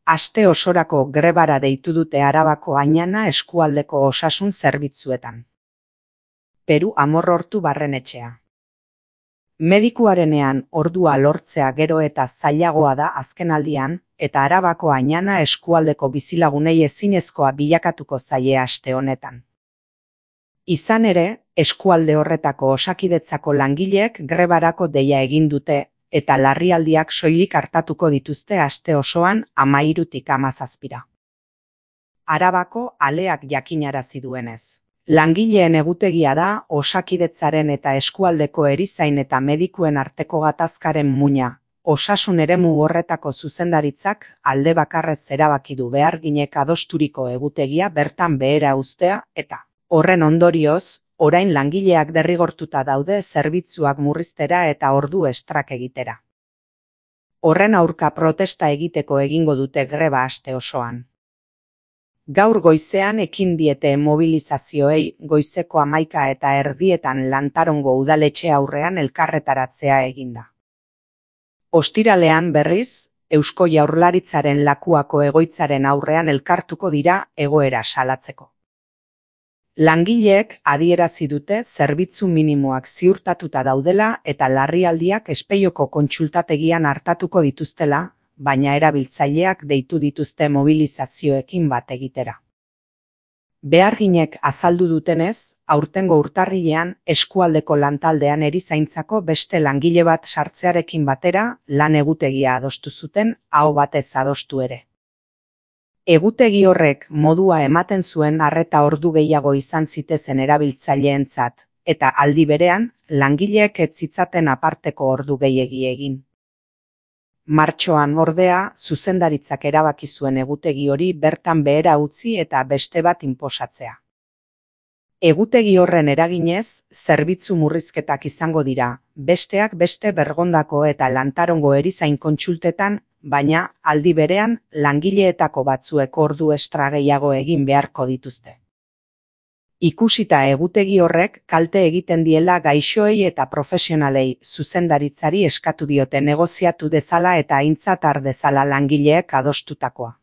Aste osorako grebara deitu dute Arabako Añana eskualdeko osasun zerbitzuetan. Peru Amorortu barrenetxea. Medikuarenean ordua lortzea gero eta zailagoa da azkenaldian, eta Arabako Añana eskualdeko bizilagunei ezinezkoa bilakatuko zaie aste honetan. Izan ere, eskualde horretako Osakidetzako langileek grebarako deia egin dute, eta larrialdiak soilik hartatuko dituzte aste osoan 13tik 17. Arabako Aleak jakinarazi duenez. Langileen egutegia da Osakidetzaren eta eskualdeko erizain eta medikuen arteko gatazkaren muina. Osasun eremu horretako zuzendaritzak alde bakarrez erabaki du beharginek adosturiko egutegia bertan behera uztea eta, horren ondorioz, orain langileak derrigortuta daude zerbitzuak murriztera eta ordu estrak egitera. Horren aurka protesta egiteko egingo dute greba aste osoan. Gaur goizean ekin diete mobilizazioei goizeko 11:30 Lantarongo udaletxe aurrean elkarretaratzea eginda. Ostiralean berriz, Eusko Jaurlaritzaren Lakuako egoitzaren aurrean elkartuko dira egoera salatzeko. Langileek adierazi dute zerbitzu minimoak ziurtatuta daudela eta larrialdiak Espeioko kontsultategian artatuko dituztela, baina erabiltzaileak deitu dituzte mobilizazioekin bat egitera. Beharginek azaldu dutenez, aurtengo urtarrilean eskualdeko lantaldean erizaintzako beste langile bat sartzearekin batera lan egutegia adostu zuten, aho batez adostu ere. Egutegi horrek modua ematen zuen arreta ordu gehiago izan zitezen erabiltzaileentzat, eta aldi berean, langileek ez zitzaten aparteko ordu gehiegi egin. Martxoan ordea, zuzendaritzak erabaki zuen egutegi hori bertan behera utzi eta beste bat inposatzea. Egutegi horren eraginez, zerbitzu murrizketak izango dira, besteak beste Bergondako eta Lantarongo erizain kontsultetan, baina aldi berean langileetako batzuek ordu estra gehiago egin beharko dituzte. Ikusita egutegi horrek kalte egiten diela gaixoei eta profesionalei zuzendaritzari eskatu diote negoziatu dezala eta aintzat har dezala langileek adostutakoa.